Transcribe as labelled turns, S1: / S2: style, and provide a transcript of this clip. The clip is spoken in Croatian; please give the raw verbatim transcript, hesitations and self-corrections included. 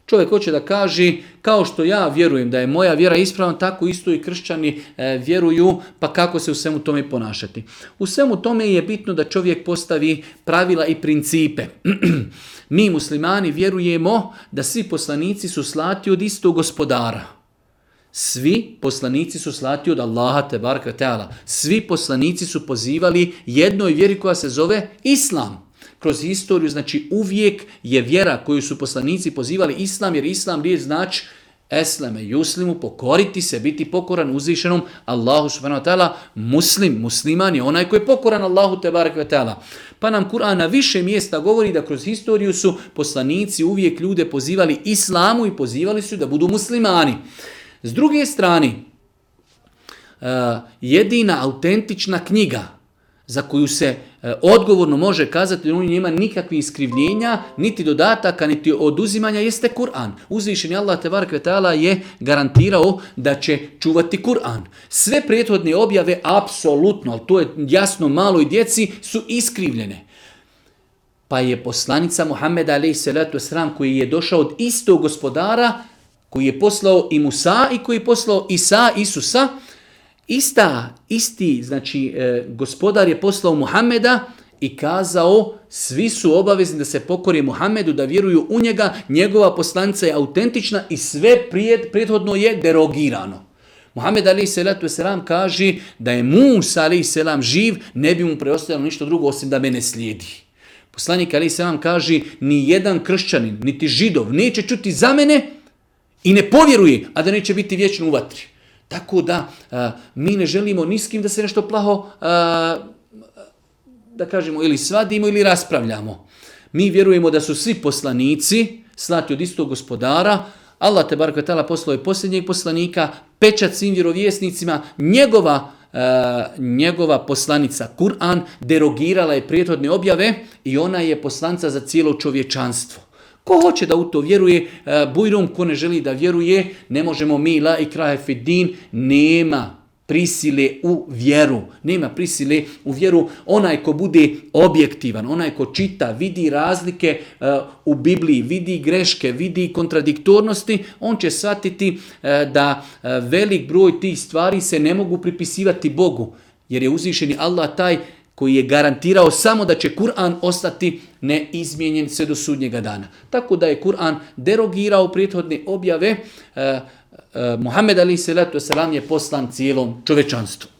S1: Čovjek hoće da kaže, kao što ja vjerujem da je moja vjera ispravna, tako isto i kršćani e, vjeruju, pa kako se u svemu tome ponašati. U svemu tome je bitno da čovjek postavi pravila i principe. Mi muslimani vjerujemo da svi poslanici su slati od istog gospodara. Svi poslanici su slati od Allaha te baraka teala. Svi poslanici su pozivali jednoj vjeri koja se zove Islam. Kroz historiju, znači uvijek je vjera koju su poslanici pozivali Islam, jer Islam riječ znači esleme yuslimu, pokoriti se, biti pokoran uzvišenom Allahu subhanahu wa ta'ala. Muslim, musliman je onaj koji je pokoran Allahu te baraka ta'ala. Pa nam Kur'an na više mjesta govori da kroz historiju su poslanici uvijek ljude pozivali Islamu i pozivali su da budu muslimani. S druge strane, jedina autentična knjiga za koju se odgovorno može kazati da u njoj nema nikakvih iskrivljenja, niti dodataka, niti oduzimanja, jeste Kur'an. Uzvišeni Allah tebarek ve taala je garantirao da će čuvati Kur'an. Sve prethodne objave, apsolutno, ali to je jasno maloj djeci, su iskrivljene. Pa je poslanica Muhammed alejhi salatu vesselam, koji je došao od istog gospodara, koji je poslao i Musa i koji je poslao Isa, Isusa, Ista, isti, znači e, gospodar je poslao Muhammeda i kazao svi su obavezni da se pokori Muhammedu, da vjeruju u njega, njegova poslanica je autentična i sve prijed, prethodno je derogirano. Muhammed alejhi salatu vesselam kaže da je Musa alejhi selam živ, ne bi mu preostalo ništa drugo osim da mene slijedi. Poslanik alejhi selam kaže ni jedan kršćanin, niti židov neće čuti za mene i ne povjeruje, a da neće biti vječno u vatri. Tako da a, mi ne želimo ni s kim da se nešto plaho, a, da kažemo, ili svadimo ili raspravljamo. Mi vjerujemo da su svi poslanici slati od istog gospodara. Allah tebarek ve taala poslao je posljednjeg poslanika, pečat svim vjerovjesnicima, njegova, a, njegova poslanica Kur'an derogirala je prethodne objave i ona je poslanica za cijelo čovječanstvo. Ko hoće da u to vjeruje, bujrum, ko ne želi da vjeruje, ne možemo mi, la ikrahe fid din, nema prisile u vjeru. Nema prisile u vjeru. Onaj ko bude objektivan, onaj ko čita, vidi razlike uh, u Bibliji, vidi greške, vidi kontradiktornosti, on će shvatiti uh, da uh, velik broj tih stvari se ne mogu pripisivati Bogu. Jer je uzvišeni Allah taj koji je garantirao samo da će Kur'an ostati neizmijenjen sve do sudnjega dana. Tako da je Kur'an derogirao prethodne objave. Uh, uh, Muhammed alejhi salatu vesselam je poslan cijelom čovečanstvu.